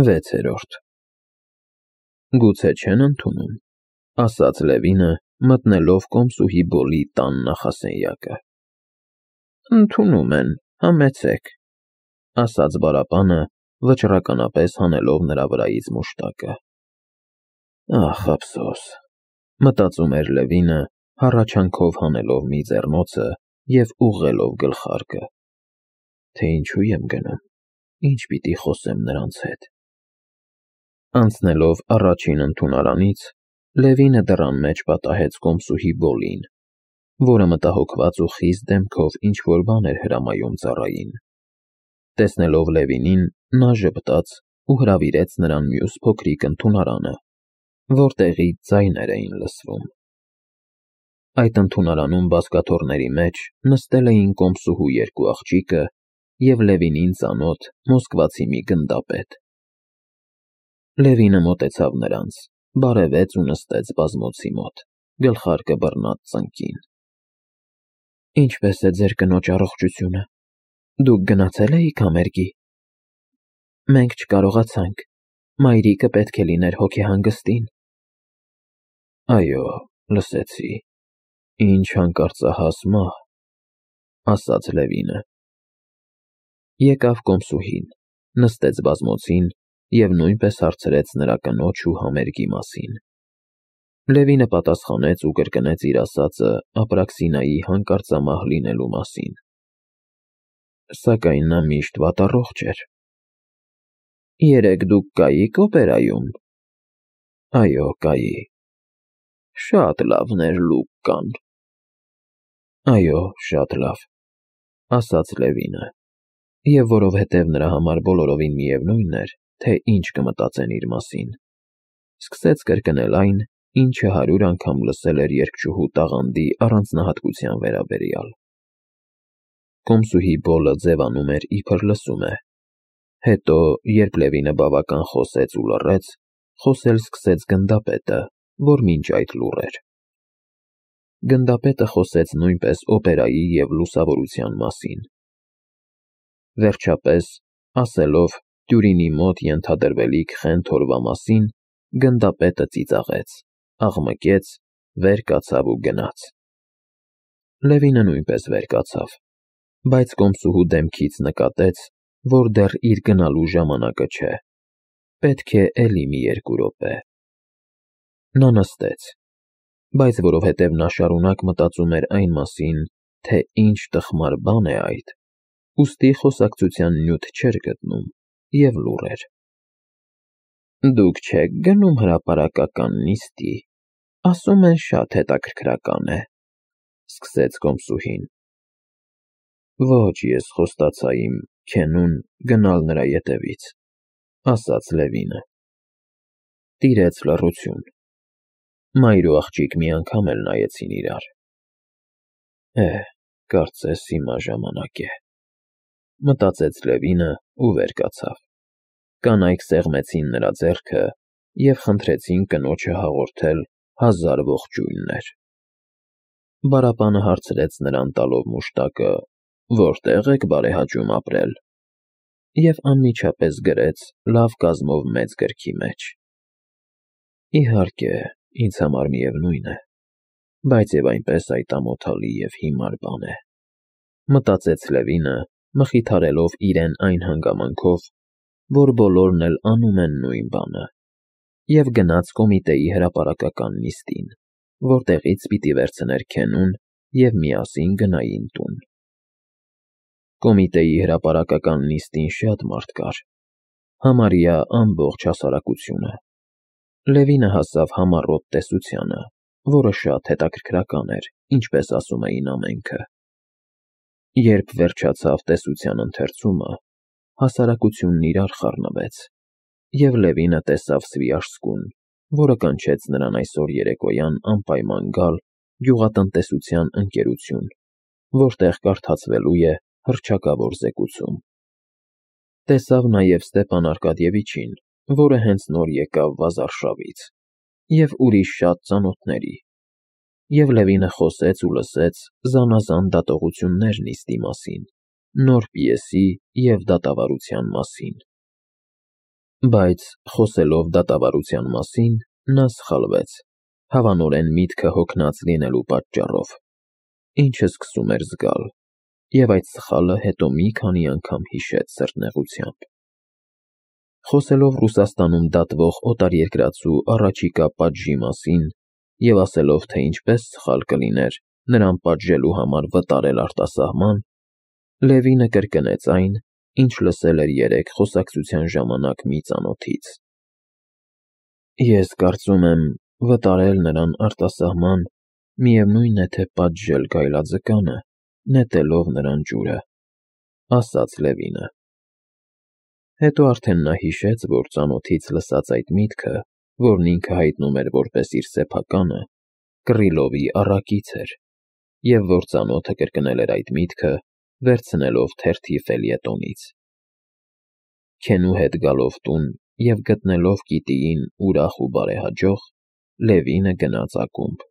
6-րդ Գուցե չեն ընդունում, ասաց Լևինը, մտնելով կոմսուհի Բոլի տան նախասենյակը։ Ընդունում են, համեցեք, ասաց Բարապանը, վճռականապես հանելով նրա վրայից մուշտակը։ Ախ, ափսոս, մտածում էր Լևինը, հառաչանքով հանելով մի ձեռնոցը և ուղղելով գլխարկը, թե ինչու եմ գնում, ինչ պիտի խոսեմ նրանց հետ։ Անցնելով առաջին ընդունարանից, Լևինը դռան մեջ պատահեց կոմսուհի Բոլին, որը մտահոգված ու խիստ դեմքով ինչ-որ բան էր հրամայում ծառային։ Տեսնելով Լևինին, նա ժպտաց ու հրավիրեց նրան մյուս փոքրիկ ընդունարանը, որտեղից ձայներ էին լսվում։ Այդ ընդունարանում բազկաթոռների մեջ նստել էին կոմսուհու երկու աղջիկը և Լևինին ծանոթ մոսկվացի մի գնդապետ։ Լևինը մոտեցավ նրանց, բարևեց ու նստեց բազմոցի մոտ, գլխարկը բռնած ծնկին։ Ինչպե՞ս է ձեր կնոջ առողջությունը, դուք գնացե՞լ էիք համերգի։ Մենք չկարողացանք, մայրիկը պետք է լիներ հոգեհանգստին։ Այո, լսեցի, ինչ հանկարծահաս մահ, ասաց Լևինը։ Եկավ կոմսուհին, նստեց բազմոցին և նույնպես հարցրեց նրա կնոջ ու համերգի մասին։ Լևինը պատասխանեց ու կրկնեց իր ասածը Ապրաքսինայի հանկարծամահ լինելու մասին։ Սակայն նա միշտ վատառողջ էր։ Երեկ դուք կայիք օպերայում։ Այո, կայի։ Շատ լավներ լուկ կան։ Այո, շատ լավ, ասաց Լևինը, և որովհետև նրա համար բոլորովին միևնույն էր, թե ինչ կմտածեն իր մասին, սկսեց կրկնել այն, ինչը 100 անգամ լսել էր երգչուհու տաղանդի առանձնահատկության վերաբերյալ։ Կոմսուհի Բոլը ձևանում էր, իբր լսում է։ Հետո, երբ Լևինը բավական խոսեց ու լռեց, խոսել սկսեց գնդապետը, որ մինչ այդ լուռ էր։ Գնդապետը խոսեց նույնպես օպերայի և լուսավորության մասին։ Վերջապես, ասելով Տյուրինի մոտ ենթադրվելիք խենթ օրվա մասին, գնդապետը ծիծաղեց, աղմկեց, վեր կացավ ու գնաց։ Լևինը նույնպես վեր կացավ, բայց կոմսուհու դեմքից նկատեց, որ դեռ իր գնալու ժամանակը չէ, պետք է էլի մի 2 րոպե։ Նա նստեց, բայց որովհետև նա շարունակ մտածում էր այն մասին, թե ինչ տխմար բան է այդ, ուստի խոսակցության նյութ չէր գտնում և լուռ էր։ Դուք չեք գնում հրապարակական նիստի, ասում են շատ հետաքրքրական է, սկսեց կոմսուհին։ Ոչ, ես խոստացա իմ քենուն գնալ նրա ետևից, ասաց Լևինը։ Տիրեց լռություն։ Մայր ու աղջիկ մի անգամ էլ նայեցին իրար։ Կարծես հիմա ժամանակ է, մտածեց Լևինը ու վեր կացավ։ Կանայք սեղմեցին նրա ձեռքը և խնդրեցին կնոջը հաղորդել 1000 ողջույններ։ Բարապանը հարցրեց նրան տալով մուշտակը. Որտե՞ղ եք բարեհաճում ապրել, և անմիջապես գրեց լավ կազմով մեծ գրքի մեջ։ Իհարկե, ինձ համար միևնույն է, բայց և այնպես այդ ամոթալի և հիմար բան է, մտածեց Լևինը, մխիթարելով իրեն այն հանգամանքով, որ բոլորն էլ անում են նույն բանը, և գնաց կոմիտեի հրապարակական նիստին, որտեղից պիտի վերցներ քենուն և միասին գնային տուն։ Կոմիտեի հրապարակական նիստին շատ մարդ կար, համարյա ամբողջ հասարակությունը։ Լևինը հասավ համառոտ տեսությանը, որը շատ հետաքրքրական էր, ինչպես ասում էին ամենքը։ Երբ վերջացավ տեսության ընթերցումը, հասարակությունն իրար խառնվեց, և Լևինը տեսավ Սվիաժսկուն, որը կանչեց նրան այսօր երեկոյան անպայման գալ գյուղատնտեսության ընկերություն, որտեղ կարդացվելու է հռչակավոր զեկուցում։ Տեսավ նաև Ստեփան Արկադիևիչին, որը հենց նոր եկավ Վազարշավից, և ուրիշ շատ ծանոթների, և Լևինը խոսեց ու լսեց զանազան դատողություններ նիստի մասին, նոր պիեսի և դատավարության մասին։ Բայց խոսելով դատավարության մասին, նա սխալվեց, հավանորեն միտքը հոգնած լինելու պատճառով, ինչը սկսում էր զգալ, և այդ սխալը հետո մի քանի անգամ հիշեց սրտնեղությամբ։ Խոսելով Ռուսաստանում դատվող օտարերկրացու առաջիկա պատժի մասին և ասելով, թե ինչպես սխալ կլիներ նրան պատժելու համար վտարել արտասահման, Լևինը կրկնեց այն, ինչ լսել էր երեկ խոսակցության ժամանակ մի ծանոթից. «Ես կարծում եմ, վտարել նրան արտասահման միևնույն է, թե պատժել գայլաձկանը, նետելով նրան ջուրը», ասաց Լևինը։ Հետո արդեն նա հիշեց, որ ծանոթից լսած այդ միտքը, որն ինքը հայտնում էր որպես իր սեփականը, Կռիլովի առակից էր, և որ ծանոթը կրկնել էր այդ միտքը, վերցնելով թերթի ֆելյետոնից։ Քենու հետ գալով տուն և գտնելով Կիտիին ուրախ ու բարեհաջող, Լևինը գնաց ակումբ։